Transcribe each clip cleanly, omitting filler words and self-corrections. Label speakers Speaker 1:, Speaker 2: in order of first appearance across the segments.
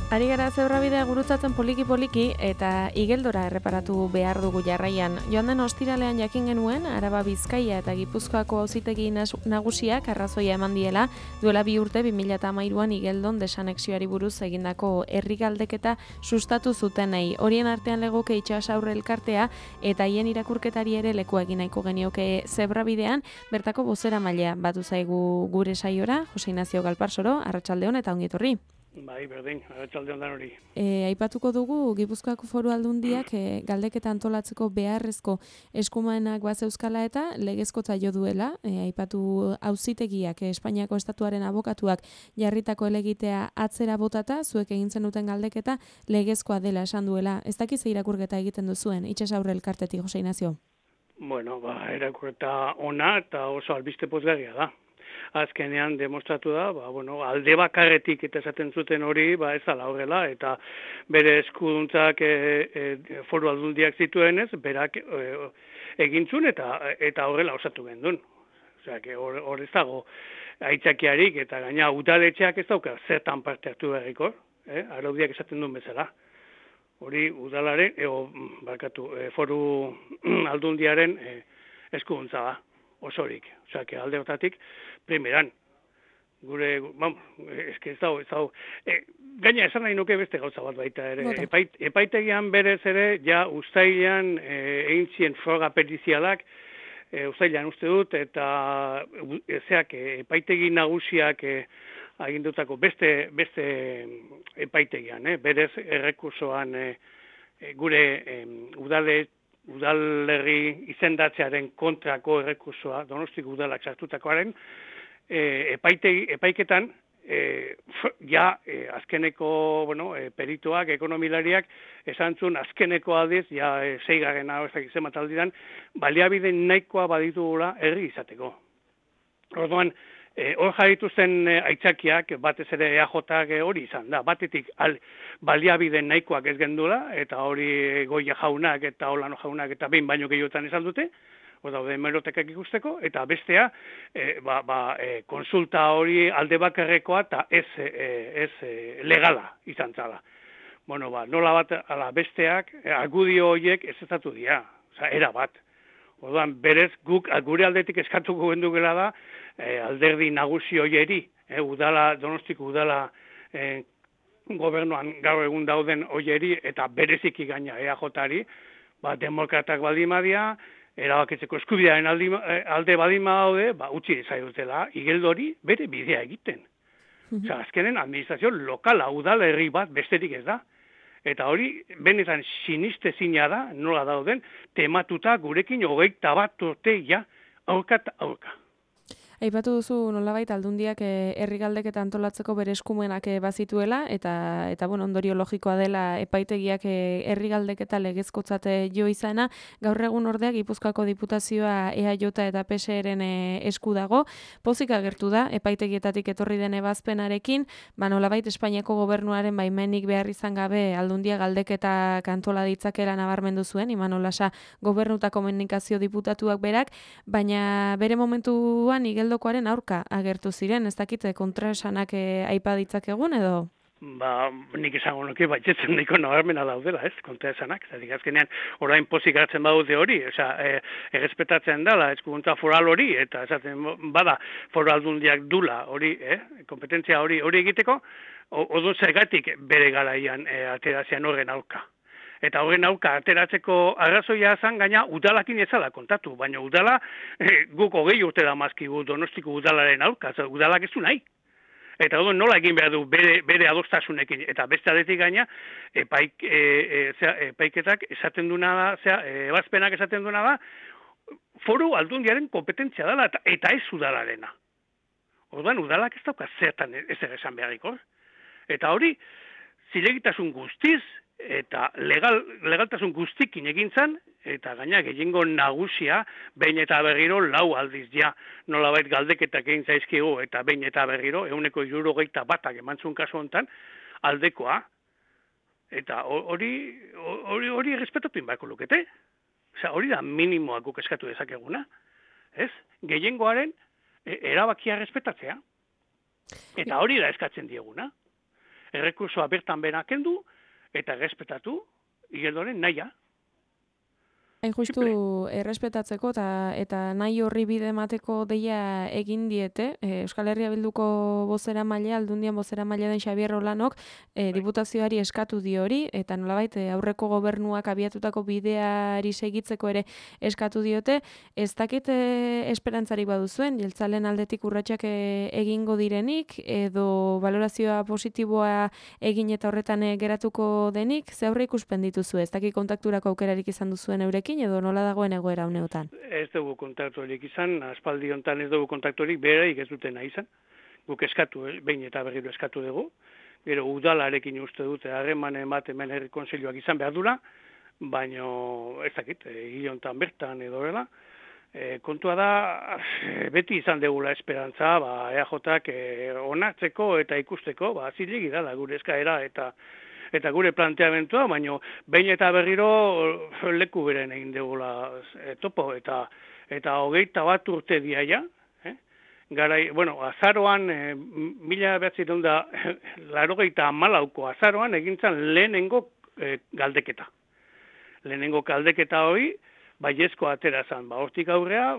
Speaker 1: Ari gara zebrabidea gurutzatzen poliki-poliki eta igeldora erreparatu behar dugu jarraian. Joan den ostiralean jakin genuen, Araba Bizkaia eta Gipuzkoako auzitegi nagusiak arrazoia eman diela, duela 2 urte 2013an igeldon desanexioari buruz egindako herri galdeketa sustatu zutenei. Horien artean legoke Itsasaurre elkartea eta haien irakurketari ere lekua egin nahiko genioke zebrabidean, bertako bozeramailea batu zaigu gure saiora, Jose Ignacio Galparsoro, arratsaldeon eta ongi etorri.
Speaker 2: Bai, berdin, arratsalde ondan hori.
Speaker 1: Aipatuko dugu Gipuzkoako Foru Aldundiak galdeketa antolatzeko beharrezko eskumenak bazeuzkala eta legezkotza jo duela. Aipatu auzitegiak Espainiako estatuaren abokatuak jarritako helegitea atzera botata, zuek egin zenuten galdeketa legezkoa dela esan duela. Ez dakiz irakurketa egiten duzuen, Itsasaurre elkartetik, Jose Ignacio?
Speaker 2: Bueno, irakurketa ona eta oso albiste pozgarria da. Azkenean demostratu da, alde bakarretik eta esaten zuten hori, ez dela horrela, eta bere eskuduntzak Foru Aldundiak zituenez, berak egintzun eta horrela osatu gendun. Osea, hor ez dago aitzakiarik eta gaina udaletxeak ez dauka zertan parte hartu beharriko, araudiak esaten duen bezala. Hori udalaren, Foru Aldundiaren eskuduntza da, osorik. Osea, alde hortatik, primeran, gure, ez dago, gaina esan nahi nuke beste gauza bat baita ere. Epaitegian berez ere, ja uztailean egin zien froga perizialak, uztailean uste dut, eta epaitegi nagusiak agindutako beste epaitegian, berez errekursoan gure udalerri izendatzearen kontrako errekursoa, Donostiko udalak sartutakoaren, epaiketan, azkeneko perituak, ekonomilariak, esan zuen azkeneko aldiz, 6. hauezak izemat aldidan, baliabide nahikoa baditugula herri izateko. Orduan, hor jarrituzten aitzakiak, batez ere EAJak hori izan da. Batetik baliabide nahikoak ez gendula, eta hori Goia jaunak eta Olano jaunak eta behin baino gehiotan esan dute, daude hemerotekak ikusteko, eta bestea, konsulta hori alde bakarrekoa eta ez legala izan zala. Nola bat ala besteak, argudio horiek ez ezatu dira, era bat. Orduan, berez, guk gure aldetik eskatuko gendukela da, alderdi nagusi hoieri, Donostiko udala gobernuan gaur egun dauden hoieri, eta bereziki gaina EAJari, demokratak baldimadia, erabakitzeko eskubidearen alde badima daude, utzi zaitutela, igeldori bere bidea egiten. Azkenen administrazio lokala udalerri bat besterik ez da. Eta hori, benetan sinistezina da, nola dauden, tematuta gurekin 21 urte aurka eta aurka.
Speaker 1: Aipatu duzu nolabait Aldundiak herri galdeketa antolatzeko bere eskumenak bazituela eta ondorio logikoa dela epaitegiak herri galdeketa legezkotzat jo izana. Gaur egun ordea Gipuzkoako Diputazioa EAJ eta PSeren esku dago. Pozik agertu da epaitegietatik etorri den ebazpenarekin, nolabait Espainiako gobernuaren baimenik behar izan gabe Aldundia galdeketa kantola ditzakela nabarmendu zuen, Imanol Lasa Gobernuta Komunikazio diputatuak berak, baina bere momentuan igeldokoaren aurka agertu ziren, ez dakite kontraesanak aipa ditzakegun edo?
Speaker 2: Nik esango nuke, baitzetzen nahiko nabarmena daudela, kontraesanak. Azkenean, orain pozik hartzen badute hori, errespetatzen dela, eskuduntza foral hori, eta esaten bada Foru Aldundiak dula hori, kompetentzia hori egiteko, odun zergatik bere garaian aterazian horren aurka. Eta horren aurka ateratzeko arrazoia zan gaina udalakin ezala kontatu, baina udala guk 20 urte da mazkigu Donostiko udalaren aurka, udalak ez du nahi. Eta nola egin behar du bere adostasunekin, eta beste aldetik gaina epaiketak esaten duna da, ebazpenak esaten duna da, Foru Aldundiaren kompetentzia dela eta ez udalarena. Orduan udalak ez dauka zertan ez esan beharriko. Eta hori, zilegitasun guztiz, eta legaltasun guztikin egin zan, eta gaina gehiengo nagusia behin eta berriro 4 aldiz nolabait galdeketak egin zaizkigu eta behin eta berriro 161 emantzun kasu hontan aldekoa, eta hori errespetatu inbako lukete. Hori da minimoak guk eskatu dezakeguna. Gehiengoaren erabakia errespetatzea. Eta hori da eskatzen dieguna. errekursoa bertan benakendu eta errespetatu Igeldoren nahia.
Speaker 1: Hain justu errespetatzeko eta nahi horri bide emateko deia egin diete, Euskal Herria Bilduko bozeramailea, Aldundian bozeramailea den Xabier Rolanok, diputazioari eskatu dio hori, eta nolabait aurreko gobernuak abiatutako bideari segitzeko ere eskatu diote. Ez dakit esperantzarik baduzuen, jeltzalen aldetik urratsak egingo direnik, edo valorazioa positiboa egin eta horretan geratuko denik, ze aurre ikuspen dituzu, ez dakit kontakturako aukerarik izan duzuen eurekin, edo nola dagoen egoera uneotan?
Speaker 2: Ez dugu kontakturik izan, aspaldi hontan ez dugu kontakturik, beraik ez dutena izan. Guk eskatu, behin eta berriro eskatu dugu. Gero udalarekin uste dute harremanen bat hemen herri kontseiluak izan behar dula, baino ez dakit, hil hontan bertan edo dela. Kontua da, beti izan degula esperantza, EAJak onartzeko eta ikusteko, zilegi dela gure eskaera eta gure planteamentua, baino behin eta berriro leku beren egin degula topo eta 21 urte diaia, garai, azaroan 1984ko azaroan egintzan lehenengo galdeketa. Lehenengo galdeketa hori baiezko aterazan, hortik aurrea,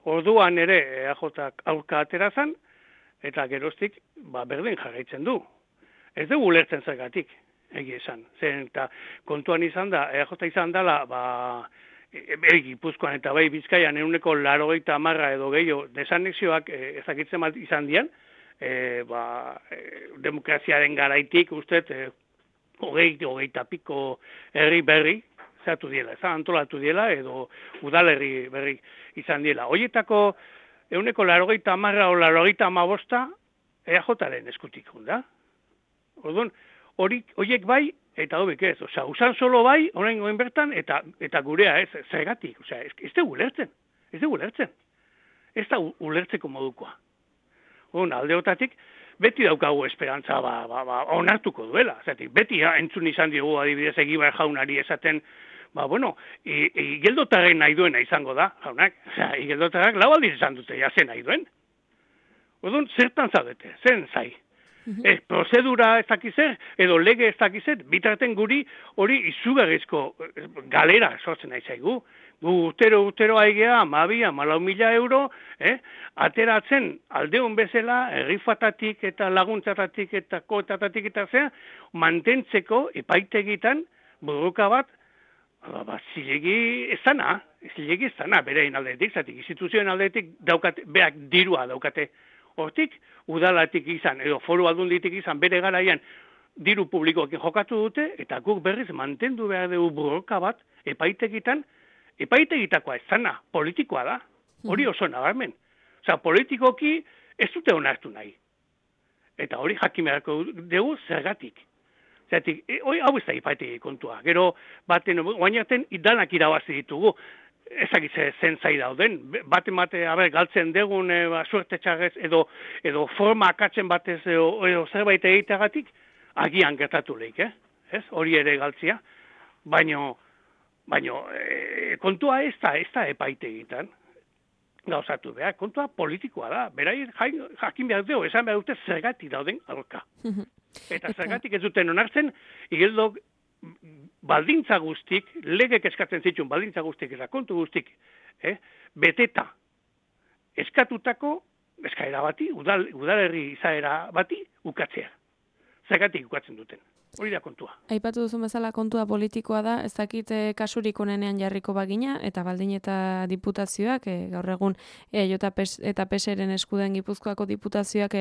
Speaker 2: orduan ere EAJak aurka aterazan, eta geroztik berdin jarraitzen du. Ez dugu ulertzen zergatik, egia esan. Zen eta kontuan izan da, EAJ izan dela, Gipuzkoan eta bai Bizkaian 90% edo gehiago desanexioak ezakitzen bat izan dian, demokraziaren garaitik ustez 20 piko herri berri zehatu diela, antolatu diela edo udalerri berri izan diela. Hoietako 90% o 95% EAJaren eskutik da. Orduan, horiek bai, eta hobek ez. Osea, usan solo bai, oraingoen bertan, eta gurea ez, zergatik. Osea, ez dugu ulertzen. Ez da ulertzeko modukoa. Orduan, aldeotatik, beti daukagu esperantza onartuko duela. Zatik, beti entzun izan diogu adibidez Egibar jaunari esaten, Igeldotarren nahi duena izango da, jaunak. Osea, Igeldotarrak lau aldiz izan dute, zen nahi duen. Orduan, zertan zaudete, zen zai. Prozedura ez dakizer, edo lege ez dakizer, bitarten guri hori izugarrizko galera sortzen nahi zaigu. Gu urtero aigea, 14.000 euro, ateratzen aldeon bezala, herrifatatik eta laguntzatatik eta kotatatik eta zea, mantentzeko epaitegietan borroka bat, zilegi ez dana, berein aldetik, zatik, instituzioen aldetik beak dirua daukate. Hortik, udalatik izan, edo foru aldunditik izan, bere garaian diru publikoekin jokatu dute, eta guk berriz mantendu behar dugu borroka bat, epaitegitakoa ez zana, politikoa da. Hori oso nabarmen. Osea, politikoki ez dute onartu nahi. Eta hori jakin beharko dugu zergatik. Zergatik, hau ez da epaitegi kontua. Gero, guainaten danak irabazi ditugu. Ezagitze zen zai dauden, bate galtzen degun suerte txarrez edo forma akatzen batez edo zerbait egiteagatik, agian gertatu lehik, ez? Hori ere galtzia, baino kontua ez da epaitegietan gauzatu behar, kontua politikoa da, berai jakin behar dugu, esan behar dute zergatik dauden aurka. Eta zergatik ez duten onartzen, Igeldok baldintza guztik, legek eskatzen zituen baldintza guztik eta kontu guztik, beteta eskatutako eskaera bati, udalerri izaera bati ukatzea. Zergatik ukatzen duten. Hori da kontua.
Speaker 1: Aipatu duzun bezala kontua politikoa da, ez dakit kasurik onenean jarriko bagina, eta baldin eta diputazioak, gaur egun eta PSren eskuden Gipuzkoako diputazioak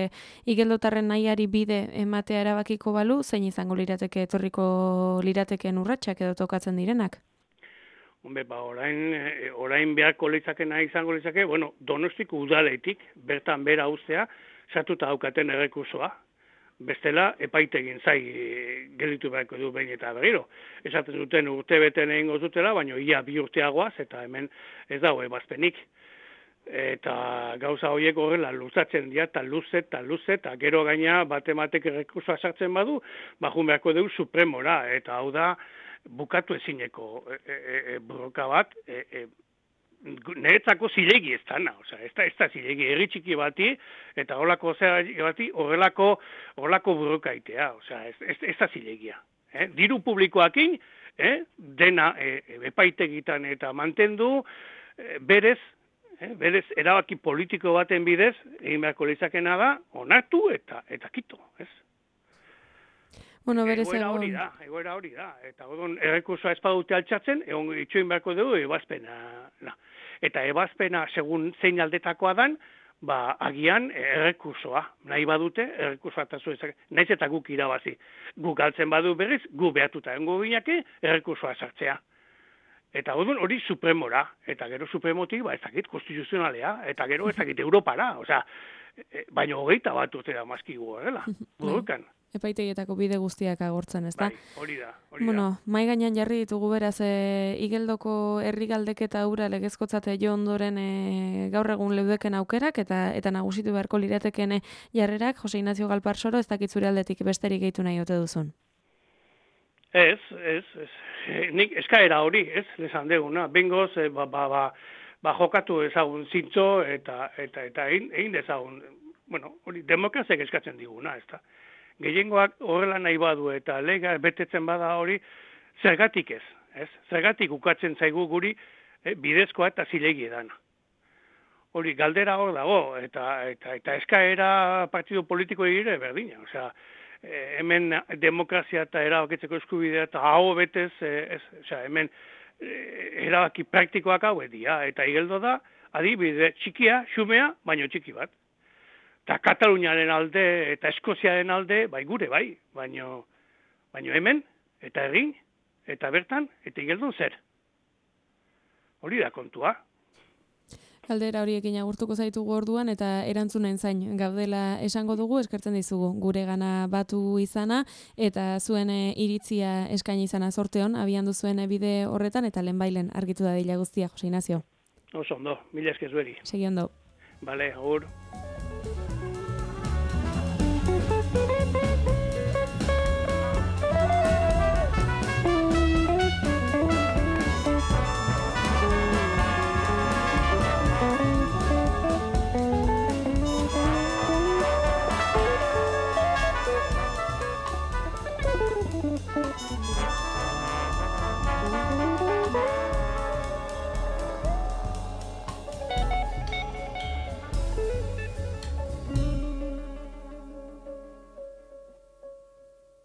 Speaker 1: Igeldotarren nahiari bide ematea erabakiko balu, zein izango lirateke etorriko lirateken urratsak edo tokatzen direnak?
Speaker 2: Hombre, orain beharko litzakena izango litzake, Donostiko udaletik, bertan bera uztea, sartuta daukaten errekursoa. Bestela, epaitegin zai gelditu beharko du behin eta berriro. Esaten duten urte beten egingo dutela, baina ia 2 urteagoaz, eta hemen ez dago ebazpenik. Eta gauza horiek horrela luzatzen dira, eta luze, eta gero gaina batematek errekursoa sartzen badu, bajun beharko dugu supremora, eta hau da bukatu ezineko borroka bat, niretzako zilegi ez dana, ez da zilegi, herri txiki bati, eta horrelako bati, horrelako burrukaitea, ez da zilegia. Diru publikoakin, dena epaitegitan eta mantendu, berez erabaki politiko baten bidez, egin beharko lizakena da, onartu eta kito, ez?
Speaker 1: Bueno,
Speaker 2: egoera hori da. Eta errekursoa ez badute altxatzen, egon itxoin beharko dugu ebazpena. Eta ebazpena, segun zein aldetakoa dan, agian errekursoa. Nahi badute, errekursoa eta zuezak. Naiz eta guk irabazi. Guk galtzen badu berriz, gu behatuta engo gineke, errekursoa sartzea. Eta hori supremora. Eta gero supremotik, ez dakit, konstituzionalea. Eta gero ez dakit, Europara. Baina 21 urte da mazkigu horrela. Burukan.
Speaker 1: Epaitegietako bide guztiak agortzen, ezta?
Speaker 2: Bai, hori da.
Speaker 1: Mai gainean jarri ditugu beraz, Igeldoko herri galdeketa hura legezkotzate jo ondoren gaur egun leudeken aukerak eta nagusitu beharko lirateken jarrerak, Jose Ignacio Galparsoro, ez dakit zure aldetik besterik gehitu nahi ote duzun?
Speaker 2: Ez. Nik eskaera hori, ez, lesan deguna. Bengoz, jokatu ezagun zintzo eta egin dezagun, hori demokraziak eskatzen diguna, ez da. Gehiengoak horrela nahi badu eta lega betetzen bada hori, zergatik ez. Zergatik ukatzen zaigu guri bidezkoa eta zilegi edana. Hori, galdera hor dago, eta eskaera partido politiko egire berdina. Hemen demokrazia eta erabakitzeko eskubidea eta hau betez, hemen erabaki praktikoak hau edia. Eta Igeldo da, adibide txikia, xumea, baino txiki bat. Eta Kataluniaren alde eta Eskoziaren alde, gure baino hemen, eta egin, eta bertan, eta Igeldon zer. Hori da kontua.
Speaker 1: Galdera horiekin agurtuko zaitugu orduan, eta erantzunen zain gaudela esango dugu, eskertzen dizugu gure gana batu izana, eta zuen iritzia eskaini izana sorteon, abian duzuen bide horretan, eta lehenbailen argitu da dila guztia, Jose Ignacio.
Speaker 2: Oso ondo, mila esker zueri.
Speaker 1: Segi ondo.
Speaker 2: Bale, agur.